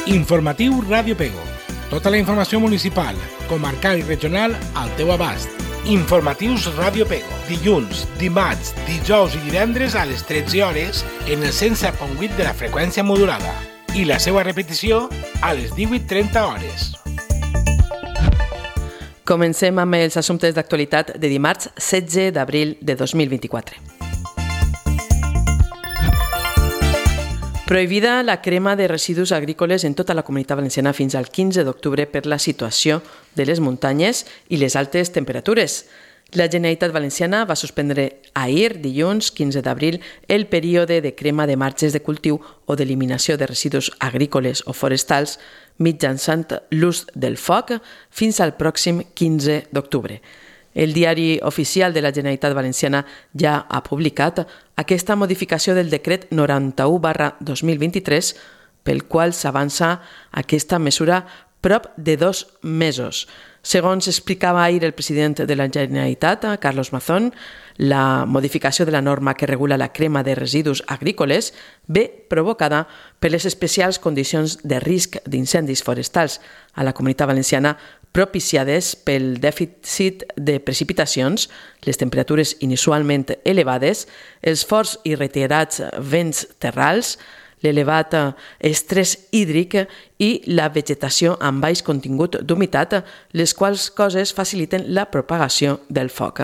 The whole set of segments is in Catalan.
Informatiu Ràdio Pego. Tota la informació municipal, comarcal i regional al teu abast. Informatius Ràdio Pego. Dilluns, dimarts, dijous i divendres a les 13 hores en el 107.8 de la freqüència modulada. I la seva repetició a les 18:30 hores. Comencem amb els assumptes d'actualitat de dimarts 16 d'abril de 2024. Prohibida la crema de residus agrícoles en tota la Comunitat Valenciana fins al 15 d'octubre per la situació de les muntanyes i les altes temperatures. La Generalitat Valenciana va suspendre ahir, dilluns 15 d'abril, el període de crema de marges de cultiu o d'eliminació de residus agrícoles o forestals mitjançant l'ús del foc fins al pròxim 15 d'octubre. El diari oficial de la Generalitat Valenciana ja ha publicat aquesta modificació del decret 91/2023 pel qual s'avança aquesta mesura prop de 2 mesos. Segons explicava ahir el president de la Generalitat, Carlos Mazón, la modificació de la norma que regula la crema de residus agrícoles ve provocada per les especials condicions de risc d'incendis forestals a la Comunitat Valenciana propiciades pel dèficit de precipitacions, les temperatures inusualment elevades, els forts i reiterats vents terrals, l'elevat estrès hídric i la vegetació amb baix contingut d'humitat, les quals coses faciliten la propagació del foc.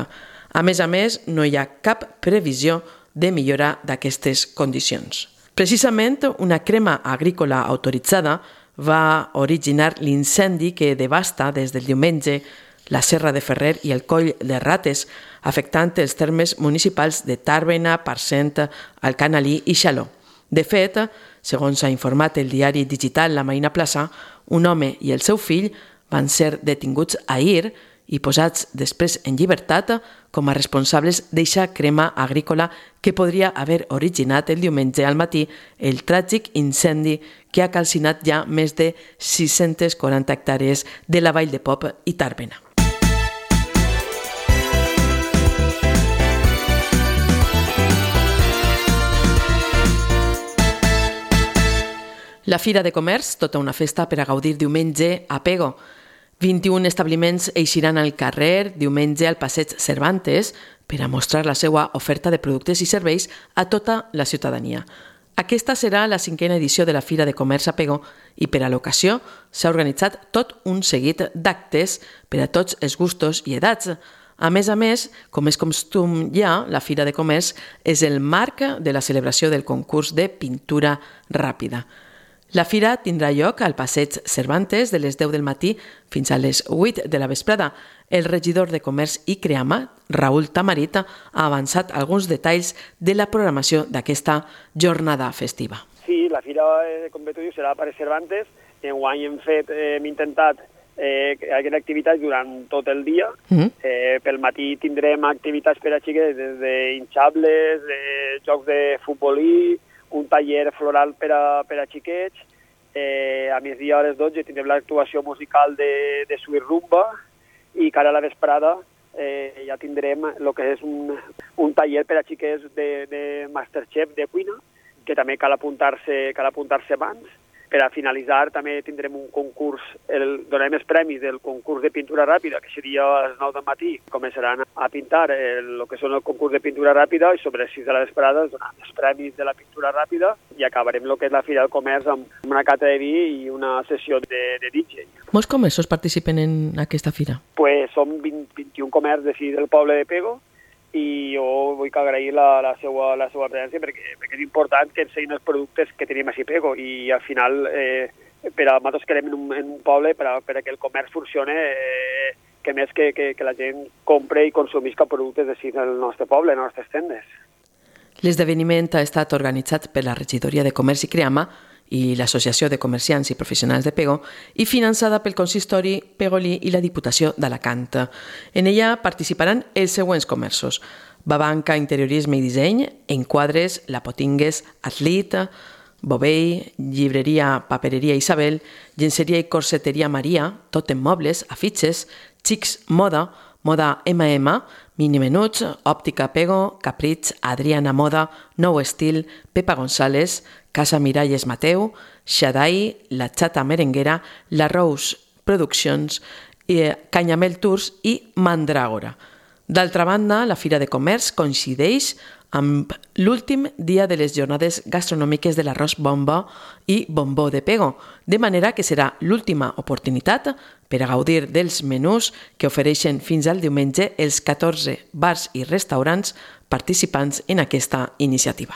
A més, no hi ha cap previsió de millora d'aquestes condicions. Precisament, una crema agrícola autoritzada va originar l'incendi que devasta des del diumenge la Serra de Ferrer i el Coll de Rates, afectant els termes municipals de Tàrbena, Parcent, Alcanalí i Xaló. De fet, segons ha informat el diari digital La Marina Plaça, un home i el seu fill van ser detinguts ahir i posats després en llibertat com a responsables d'eixa crema agrícola que podria haver originat el diumenge al matí el tràgic incendi que ha calcinat ja més de 640 hectàrees de la Vall de Pop i Tàrbena. La Fira de Comerç, tota una festa per a gaudir diumenge a Pego. 21 establiments eixiran al carrer diumenge al Passeig Cervantes per a mostrar la seva oferta de productes i serveis a tota la ciutadania. Aquesta serà la 5a edició de la Fira de Comerç a Pego i per a l'ocasió s'ha organitzat tot un seguit d'actes per a tots els gustos i edats. A més, com és costum ja, la Fira de Comerç és el marc de la celebració del concurs de pintura ràpida. La fira tindrà lloc al Passeig Cervantes de les 10 del matí fins a les 8 de la vesprada. El regidor de Comerç i Creama, Raül Tamarit, ha avançat alguns detalls de la programació d'aquesta jornada festiva. Sí, la fira, com bé tu dius, serà a Passeig Cervantes. Enguany hem intentat que hi hagi activitats durant tot el dia. Pel matí tindrem activitats per a xiques, des d'inxables, jocs de futbolí, un taller floral per a xiquets. A migdia a les 12 tindrem l'actuació musical de Sweet Rumba i cara a la vesprada ja tindrem el que és un taller per a xiquets de Masterchef de cuina, que també cal apuntar-se abans. Per a finalitzar també tindrem un concurs, donarem els premis del concurs de pintura ràpida, que seria a les 9 del matí. Començaran a pintar el que són el concurs de pintura ràpida i sobre les 6 de la vesprada donaran els premis de la pintura ràpida i acabarem el que és la Fira del Comerç amb una cata de vi i una sessió de DJ. Molts comerços participen en aquesta fira? Pues som 21 comerços d'ací del poble de Pego i jo vull agrair la seva presència perquè és important que ensenyin els productes que tenim a Pego i al final per a nosaltres que anem en un poble per a que el comerç funcione que més que la gent compre i consumisca productes d'ací del nostre poble, en les nostres tendes. L'esdeveniment ha estat organitzat per la Regidoria de Comerç i Creama i l'Associació de Comerciants i Professionals de Pego i finançada pel Consistori Pegolí i la Diputació d'Alacant. En ella participaran els següents comerços: Babanca, Interiorisme i Disseny, Enquadres, La Potingues, Atlit, Bovell, Llibreria, Papereria Isabel, Llenceria i Corseteria Maria, Totem Mobles, Afitxes, Xics Moda, Moda M&M, Mini Menuts, Òptica Pego, Caprits, Adriana Moda, Nou Estil, Pepa González, Casa Miralles Mateu, Xadai, La Chata Merenguera, La Rose Productions, Canyamel Tours i Mandràgora. D'altra banda, la Fira de Comerç coincideix amb l'últim dia de les jornades gastronòmiques de l'arròs bombo i bombó de pego, de manera que serà l'última oportunitat per a gaudir dels menús que ofereixen fins al diumenge els 14 bars i restaurants participants en aquesta iniciativa.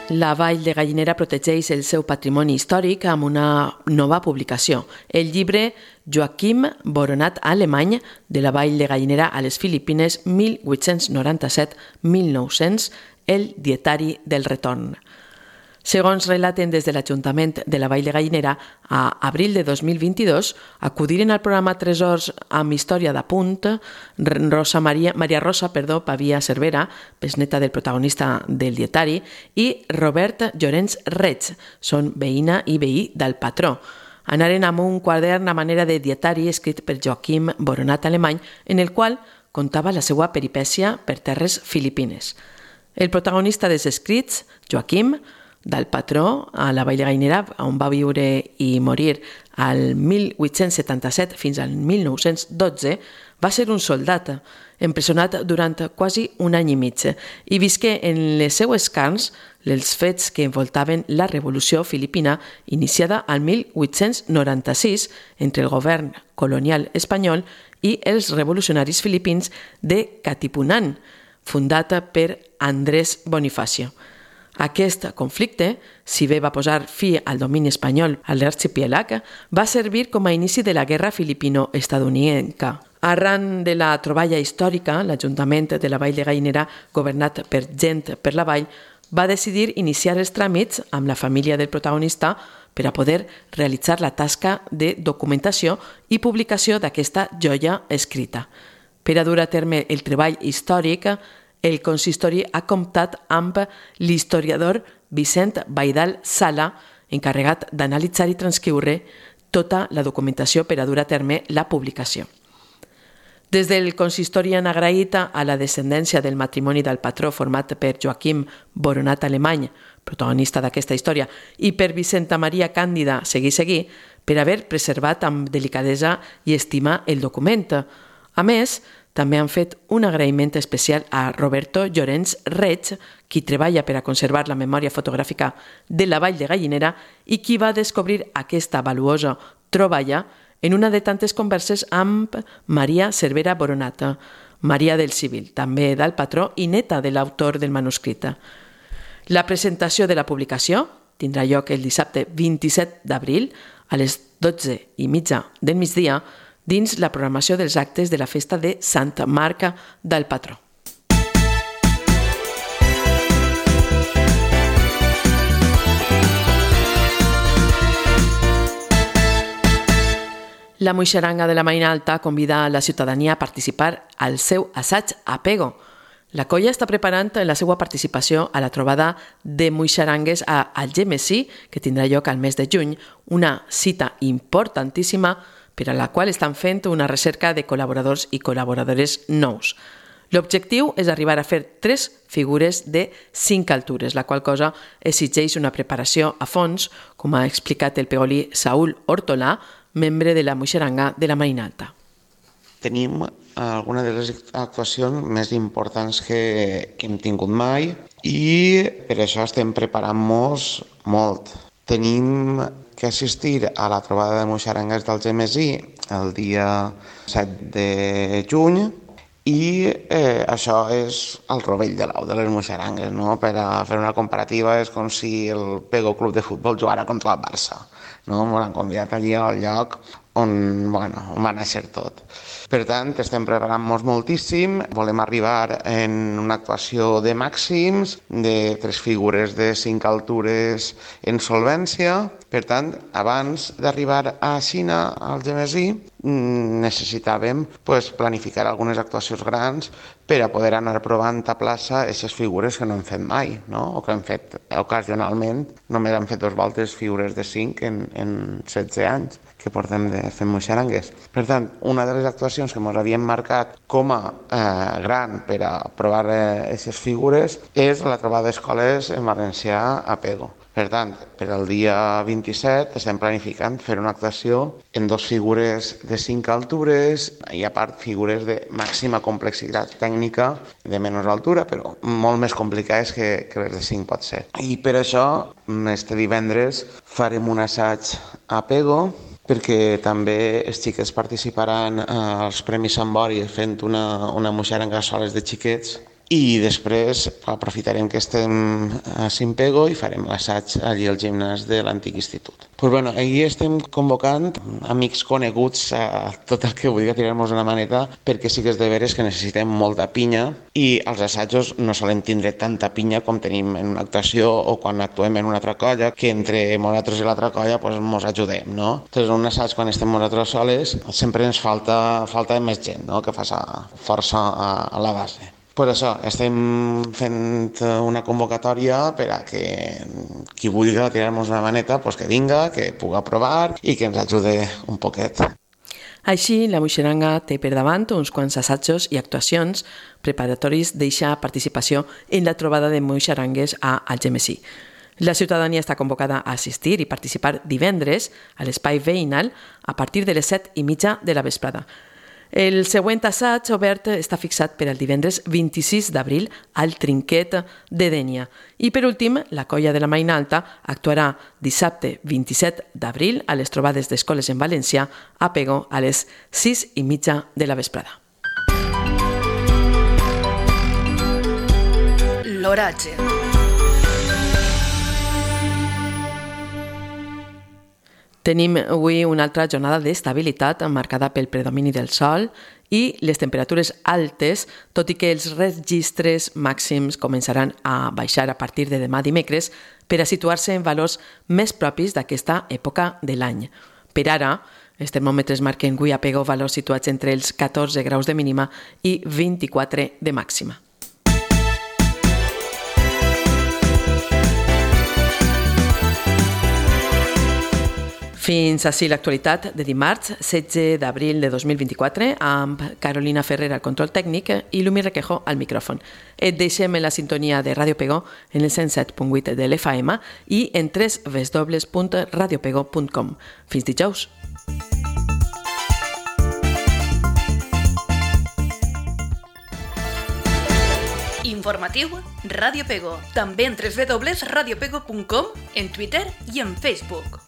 La Vall de Gallinera protegeix el seu patrimoni històric amb una nova publicació, el llibre Joaquim Boronat Alemany de la Vall de Gallinera a les Filipines 1897-1900, el dietari del retorn. Segons relaten des de l'Ajuntament de la Vall de Gallinera, a abril de 2022 acudiren al programa Tresors amb història d'apunt Maria Rosa Pavia Cervera, besneta del protagonista del dietari, i Robert Llorenç Reig, són veïna i veí del patró. Anaren amb un quadern a manera de dietari escrit per Joaquim Boronat Alemany, en el qual contava la seva peripècia per terres filipines. El protagonista dels escrits, Joaquim, del patró a la Vall de Gallinera, on va viure i morir al 1877 fins al 1912, va ser un soldat, empresonat durant quasi un any i mig, i visqué en les seues carns els fets que envoltaven la Revolució Filipina iniciada al 1896 entre el govern colonial espanyol i els revolucionaris filipins de Katipunan, fundat per Andrés Bonifacio. Aquest conflicte, si bé va posar fi al domini espanyol a l'arxipèlag, va servir com a inici de la Guerra Filipino-Estatunidenca. Arran de la troballa històrica, l'Ajuntament de la Vall de Gallinera, governat per gent per la vall, va decidir iniciar els tràmits amb la família del protagonista per a poder realitzar la tasca de documentació i publicació d'aquesta joia escrita. Per a dur a terme el treball històric, el consistori ha comptat amb l'historiador Vicent Baidal Sala, encarregat d'analitzar i transcriure tota la documentació per a dur a terme la publicació. Des del consistori han agraït a la descendència del matrimoni del patró format per Joaquim Boronat Alemany, protagonista d'aquesta història, i per Vicenta Maria Càndida Seguí, per haver preservat amb delicadesa i estima el document. A més, també han fet un agraïment especial a Roberto Llorenç Reig, qui treballa per a conservar la memòria fotogràfica de la Vall de Gallinera i qui va descobrir aquesta valuosa troballa en una de tantes converses amb Maria Cervera Boronat, Maria del Civil, també del patró i neta de l'autor del manuscrit. La presentació de la publicació tindrà lloc el dissabte 27 d'abril a les 12:30 del migdia dins la programació dels actes de la festa de Santa Marca del Patró. La Muixeranga de la Marina Alta convida a la ciutadania a participar al seu assaig a Pego. La colla està preparant la seva participació a la trobada de Muixerangues a Algemesí, que tindrà lloc al mes de juny, una cita importantíssima per a la qual estan fent una recerca de col·laboradors i col·laboradores nous. L'objectiu és arribar a fer 3 figures de 5 altures, la qual cosa exigeix una preparació a fons, com ha explicat el pegolí Saúl Hortolà, membre de la Muixeranga de la Marina Alta. Tenim alguna de les actuacions més importants que hem tingut mai i per això estem preparant-nos molt. Tenim que assistir a la trobada de Muixerangues d'Algemesí el dia 7 de juny i això és el rovell de l'ou de les Muixerangues, no? Per a fer una comparativa és com si el Pego Club de Futbol jugara contra el Barça. No? M'han convidat allí al lloc on va néixer tot. Per tant, estem preparant-nos moltíssim, volem arribar en una actuació de màxims, de 3 figures de 5 altures en solvència. Per tant, abans d'arribar a Xina, al Gemesí, necessitàvem planificar algunes actuacions grans per a poder anar provant a plaça aquestes figures que no hem fet mai, no? O que hem fet ocasionalment. Només hem fet 2 voltes figures de 5 en 16 anys que portem de fer moixarangues. Per tant, una de les actuacions que ens havíem marcat com a gran per a provar aquestes figures és la trobada d'escoles en valencià a Pego. Per tant, per al dia 27 estem planificant fer una actuació en 2 figures de 5 altures i a part figures de màxima complexitat tècnica de menys altura, però molt més complicades que les de 5 pot ser. I per això, este divendres farem un assaig a Pego, perquè també els xiquets participaran als Premis Sant Bori fent una moixaranga a soles de xiquets i després aprofitarem que estem a Simpego i farem l'assaig allí al gimnàs de l'antic institut. Ahir estem convocant amics coneguts a tot el que vulgui tirar-nos una maneta, perquè sí que és de veres que necessitem molta pinya i els assajos no solem tindre tanta pinya com tenim en una actuació o quan actuem en una altra colla, que entre nosaltres i l'altra colla ens ajudem, no? Entonces, en un assaig, quan estem nosaltres soles, sempre ens falta més gent, no? Que faci força a la base. Per això estem fent una convocatòria per a que qui vulgui tirar-nos una maneta que vinga, que pugui provar i que ens ajude un poquet. Així, la moixaranga té per davant uns quants assajos i actuacions preparatoris d'eixa participació en la trobada de moixarangues a Algemesí. La ciutadania està convocada a assistir i participar divendres a l'espai veïnal a partir de les 7:30 de la vesprada. El següent assaig obert està fixat per al divendres 26 d'abril al Trinquet de Dénia. I per últim, la colla de la Maina Alta actuarà dissabte 27 d'abril a les trobades d'escoles en valencià a Pego a les 6:30 de la vesprada. L'oratge. Tenim avui una altra jornada d'estabilitat marcada pel predomini del sol i les temperatures altes, tot i que els registres màxims començaran a baixar a partir de demà dimecres per a situar-se en valors més propis d'aquesta època de l'any. Per ara, els termòmetres marquen avui a Pego valors situats entre els 14 graus de mínima i 24 de màxima. Fins ací l'actualitat de dimarts, 16 d'abril de 2024, amb Carolina Ferrer al control tècnic i Lumi Requejo al micròfon. Et deixem en la sintonia de Ràdio Pego en el 107.8 de l'FM i en www.radiopego.com. Fins dijous. Informatiu Ràdio Pego. També en www.radiopego.com, en Twitter i en Facebook.